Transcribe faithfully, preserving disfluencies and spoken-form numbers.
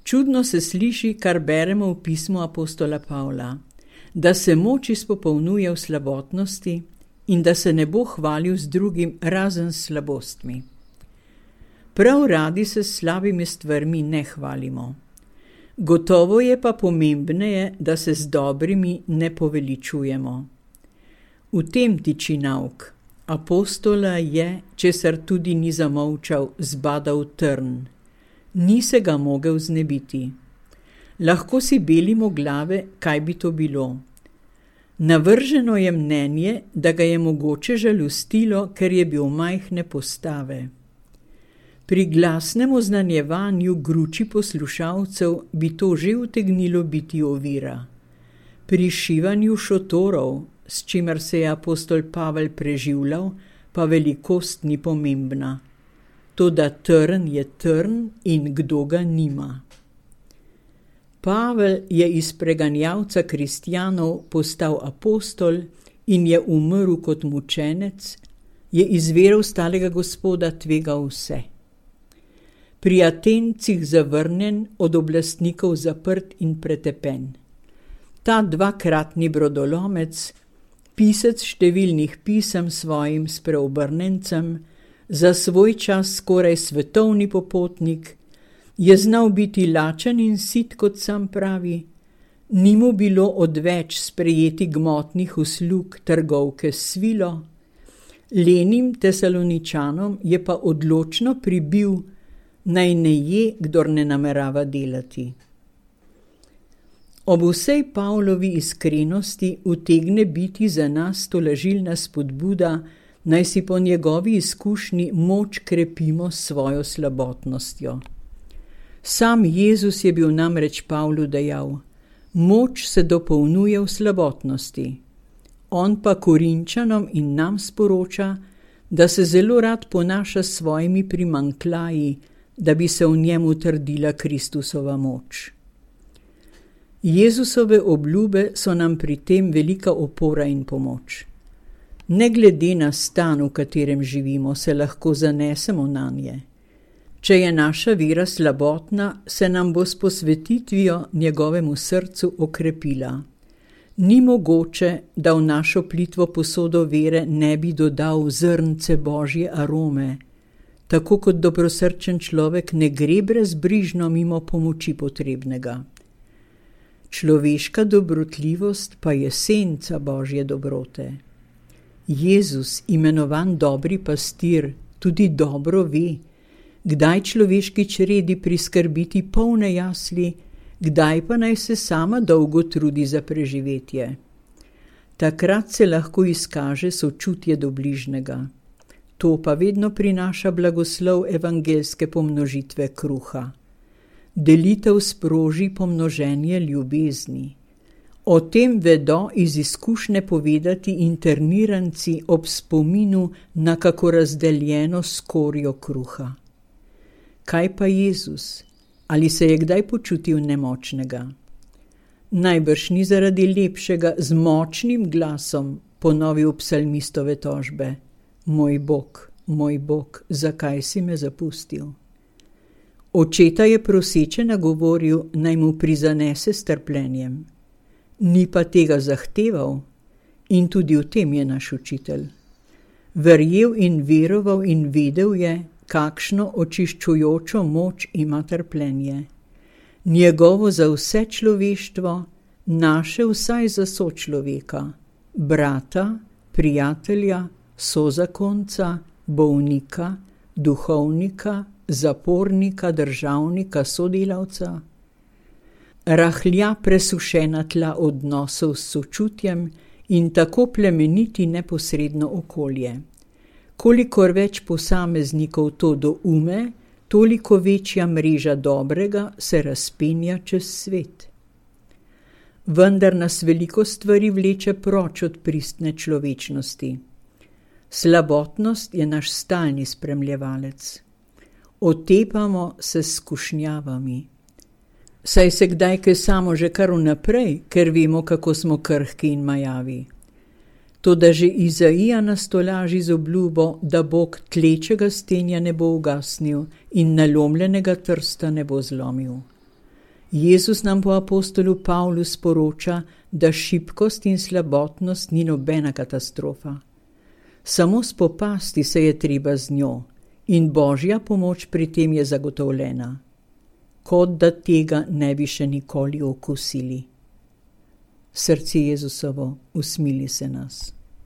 Čudno se sliši, kar beremo v pismu apostola Pavla, da se moč izpopolnjuje v slabotnosti in da se ne bo hvalil z drugim razen s slabostmi. Prav radi se s slabimi stvarmi ne hvalimo. Gotovo je pa pomembneje, da se z dobrimi ne poveličujemo. V tem tiči nauk. Apostola je, česar tudi ni zamolčal, zbadal trn. Ni se ga mogel znebiti. Lahko si belimo glave, kaj bi to bilo. Navrženo je mnenje, da ga je mogoče žalostilo, ker je bil majhne postave. Pri glasnem oznanjevanju gruči poslušalcev bi to že utegnilo biti ovira. Pri šivanju šotorov, s čimer se je apostol Pavel preživljal, pa velikost ni pomembna. Toda trn je trn in kdo ga nima. Pavel je iz preganjavca kristjanov postal apostol in je umrl kot mučenec, je iz vere ostalega Gospoda tvegal vse. Pri Atencih zavrnjen, od oblastnikov zaprt in pretepen. Ta dvakratni brodolomec, pisec številnih pisem svojim spreobrnencem, za svoj čas skoraj svetovni popotnik, je znal biti lačen in sit, kot sam pravi, ni mu bilo odveč sprejeti gmotnih uslug trgovke s svilo, lenim Tesaloničanom je pa odločno pribil, naj ne je, kdor ne namerava delati. Ob vsej Pavlovi iskrenosti utegne biti za nas tolažilna spodbuda, naj si po njegovi izkušnji moč krepimo s svojo slabotnostjo. Sam Jezus je bil namreč Pavlu dejal, moč se dopolnjuje v slabotnosti. On pa Korinčanom in nam sporoča, da se zelo rad ponaša s svojimi primanjkljaji, da bi se v njem utrdila Kristusova moč. Jezusove obljube so nam pri tem velika opora in pomoč. Ne glede na stan, v katerem živimo, se lahko zanesemo nanje. Če je naša vera slabotna, se nam bo s posvetitvijo njegovemu srcu okrepila. Ni mogoče, da v našo plitvo posodo vere ne bi dodal zrnce Božje arome, tako kot dobrosrčen človek ne gre brezbrižno mimo pomoči potrebnega. Človeška dobrotljivost pa je senca Božje dobrote. Jezus, imenovan dobri pastir, tudi dobro ve, kdaj človeški čredi priskrbiti polne jasli, kdaj pa naj se sama dolgo trudi za preživetje. Takrat se lahko izkaže sočutje do bližnega. To pa vedno prinaša blagoslov evangelske pomnožitve kruha. Delitev sproži pomnoženje ljubezni. O tem vedo iz izkušnje povedati interniranci ob spominu na kako razdeljeno skorjo kruha. Kaj pa Jezus? Ali se je kdaj počutil nemočnega? Najbrž ni zaradi lepšega z močnim glasom ponovil psalmistove tožbe. Moj Bog, moj Bog, zakaj si me zapustil? Očeta je proseče nagovoril, naj mu prizanese s trpljenjem. Ni pa tega zahteval in tudi v tem je naš učitelj. Verjel in veroval in vedel je, kakšno očiščujočo moč ima trpljenje. Njegovo za vse človeštvo, naše vsaj za sočloveka, brata, prijatelja, sozakonca, bolnika, duhovnika, zapornika, državnika, sodelavca. Rahlja presušena tla odnosov s sočutjem in tako plemeniti neposredno okolje. Kolikor več posameznikov to doume, toliko večja mreža dobrega se razpenja čez svet. Vendar nas veliko stvari vleče proč od pristne človečnosti. Slabotnost je naš stalni spremljevalec. Otepamo se s skušnjavami. Saj se kdaj kaj samo že kar vnaprej, ker vemo, kako smo krhki in majavi. Toda že Izaija nas tolaži z obljubo, da Bog tlečega stenja ne bo ugasnil in nalomljenega trsta ne bo zlomil. Jezus nam po apostolu Pavlu sporoča, da šibkost in slabotnost ni nobena katastrofa. Samo spopasti se je treba z njo in Božja pomoč pri tem je zagotovljena, kot da tega ne bi še nikoli okusili. Srce Jezusovo, usmili se nas.